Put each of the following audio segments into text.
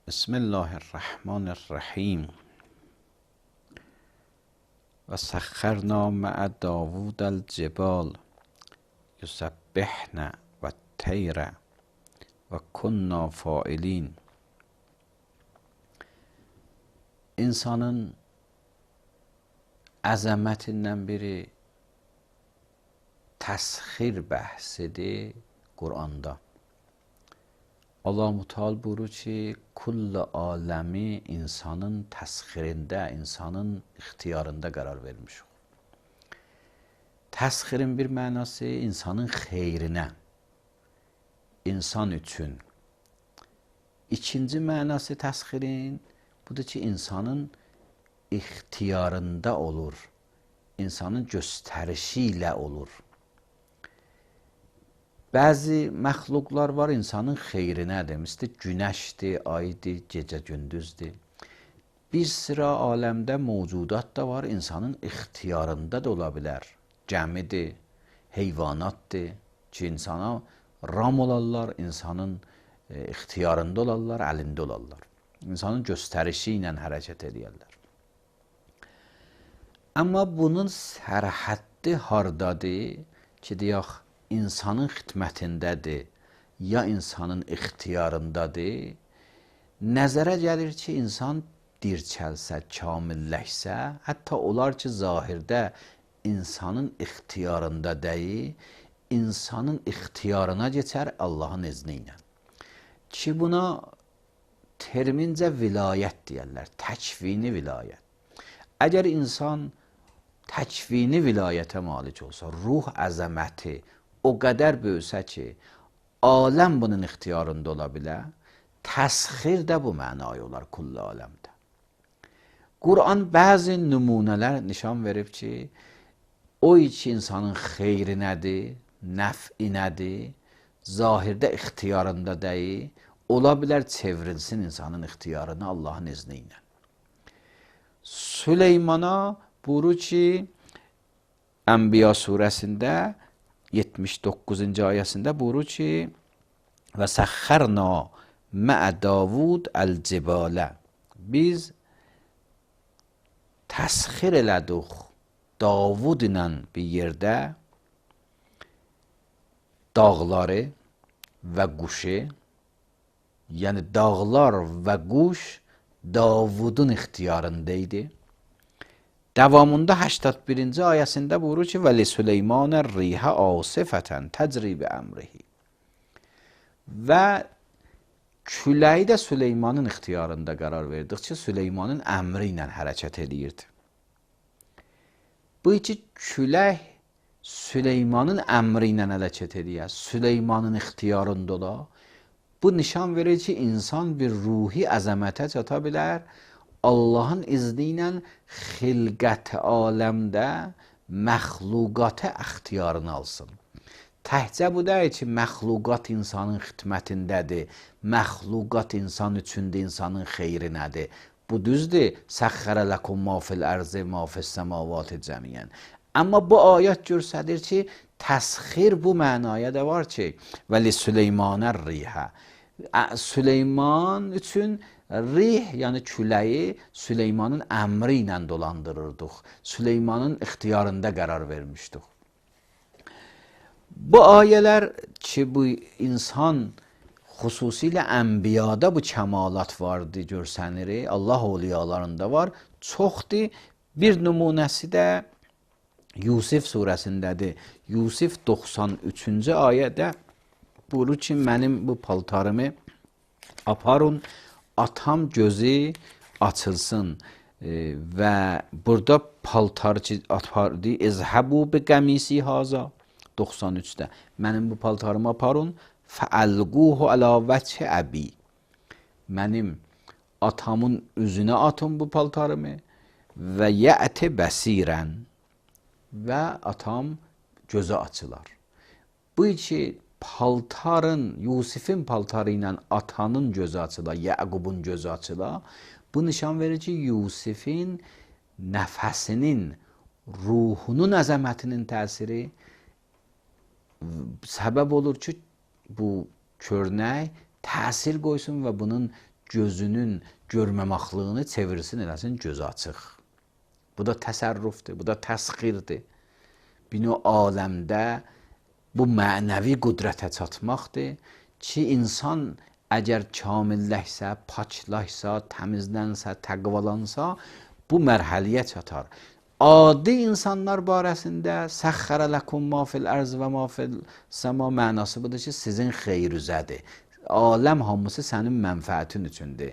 بسم الله الرحمن الرحیم و سخرنا مع داوود الجبال یسبحن و الطیر و کنا فاعلین. İnsanın əzəmətindən biri təsxir bəhsidir Quranda. Allah Müteal buyurur ki, kullu aləmi insanın təsxirində, insanın ixtiyarında qərar vermiş. Təsxirin bir mənası insanın xeyrinə, insan üçün. İkinci mənası təsxirin budur ki, insanın ixtiyarında olur, insanın göstərişi ilə olur. Bəzi məxluqlar var insanın xeyrinədir. Misli günəşdir, aydır, gecə gündüzdür. Bir sıra aləmdə mövcudat da var, insanın ixtiyarında da ola bilər. Gəmidir, heyvanatdır ki, insana ram olarlar, insanın ixtiyarında olarlar, əlində olarlar. İnsanın göstərişi ilə hərəkət edirlər. Amma bunun sərhəddi hardadır ki, deyək, insanın xidmətindədir, ya insanın ixtiyarındadır. Nəzərə gəlir ki, insan dirçəlsə, kamilləşsə, hətta olar ki, zahirdə insanın ixtiyarında deyil, insanın ixtiyarına geçər Allahın izni ilə. Ki, buna termincə vilayət deyərlər, təkvini vilayət. Əgər insan təkvini vilayətə malik olsa, ruh əzəməti o qədər böyüsə ki, aləm bunun ixtiyarında ola bilər, təsxir də bu mənaya olar kullu aləmdə. Quran bəzi nümunələr nişan verib ki, o ki insanın xeyri nədir, nəf'i nədir, zahirdə ixtiyarında deyil, ola bilər çevrilsin insanın ixtiyarını Allahın izni ilə. Süleymana buyurur ki, Ənbiya surəsində 79-cu ayəsində buyurur ki, və səxərna məə Davud əl-cibalə. Biz təsxir elədik Davud ilə bir yerdə dağları və quşu, yəni dağlar və quş Davudun ixtiyarındaydı. Davamında 81-ci ayəsində buyurur ki, və li Süleymanə rihə asifətən təcri bi əmrihi. Və küləyi də Süleymanın ixtiyarında qərar verdik ki, Süleymanın əmri ilə hərəkət edirdi. Bu iki külək Süleymanın əmri ilə hərəkət edir, Süleymanın ixtiyarında ola. Bu nişan verir ki, insan bir ruhi əzəmətə çata bilər, Allahın izni ilə xilqət aləmdə məxluqatə ixtiyarını alsın. Təhcə bu deyil ki, məxluqat insanın xidmətindədir, məxluqat insan üçündür, insanın xeyri nədir. Bu düzdür, səxərə ləkum ma fil ərzi, ma fis səmavati cəmiyyən. Amma bu ayət göstərir ki, təsxir bu mənaya da var ki, və li Süleymanə rihə. Süleyman üçün rih, yəni küləyi Süleymanın əmri ilə dolandırırdıq. Süleymanın ixtiyarında qərar vermişdik. Bu ayələr ki, bu insan xüsusilə ənbiyada bu kəmalat vardı, görsənir, Allah oliyalarında var, çoxdur. Bir nümunəsi də Yusif surəsindədir. Yusif 93-cü ayədə buyurur ki, mənim bu paltarımı aparın, atam gözü açılsın və burada paltar ki, apardı, izhəbu bi qəmisi haza 93-də. Mənim bu paltarımı aparın, fəəlquhu alə vəçhi əbi. Mənim atamın üzünə atın bu paltarımı və yəti bəsirən və atam gözü açılar. Bu iki paltarın, Yusifin paltarı ilə atanın gözü açıla, Yəqubun gözü açıla, bu nişan verir ki, Yusifin nəfəsinin, ruhunun əzəmətinin təsiri səbəb olur ki, bu körnək təsir qoysun və bunun gözünün görməməxlığını çevirsin, eləsin gözü açıq. Bu da təsərrüfdür, bu da təsxirdir. Bino aləmdə bu mənəvi qüdrətə çatmaqdır ki, insan əgər kamilləşsə, paklaşsa, təmizlənsə, təqvalansa, bu mərhələyə çatar. Adi insanlar barəsində səxxərə ləkum ma fil ərz və ma fil səma mənası budur ki, sizin xeyrüzədir. Aləm hamısı sənin mənfəətin üçündür.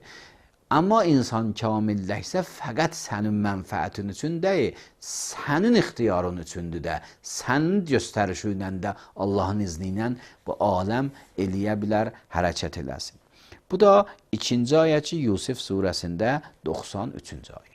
Amma insan kamilləşsə, fəqət sənin mənfəətin üçün deyil, sənin ixtiyarın üçündür də, sənin göstərişi ilə də Allahın izni ilə bu aləm eləyə bilər, hərəkət eləsin. Bu da 2-ci ayə ki, Yusif surəsində 93-cü ayə.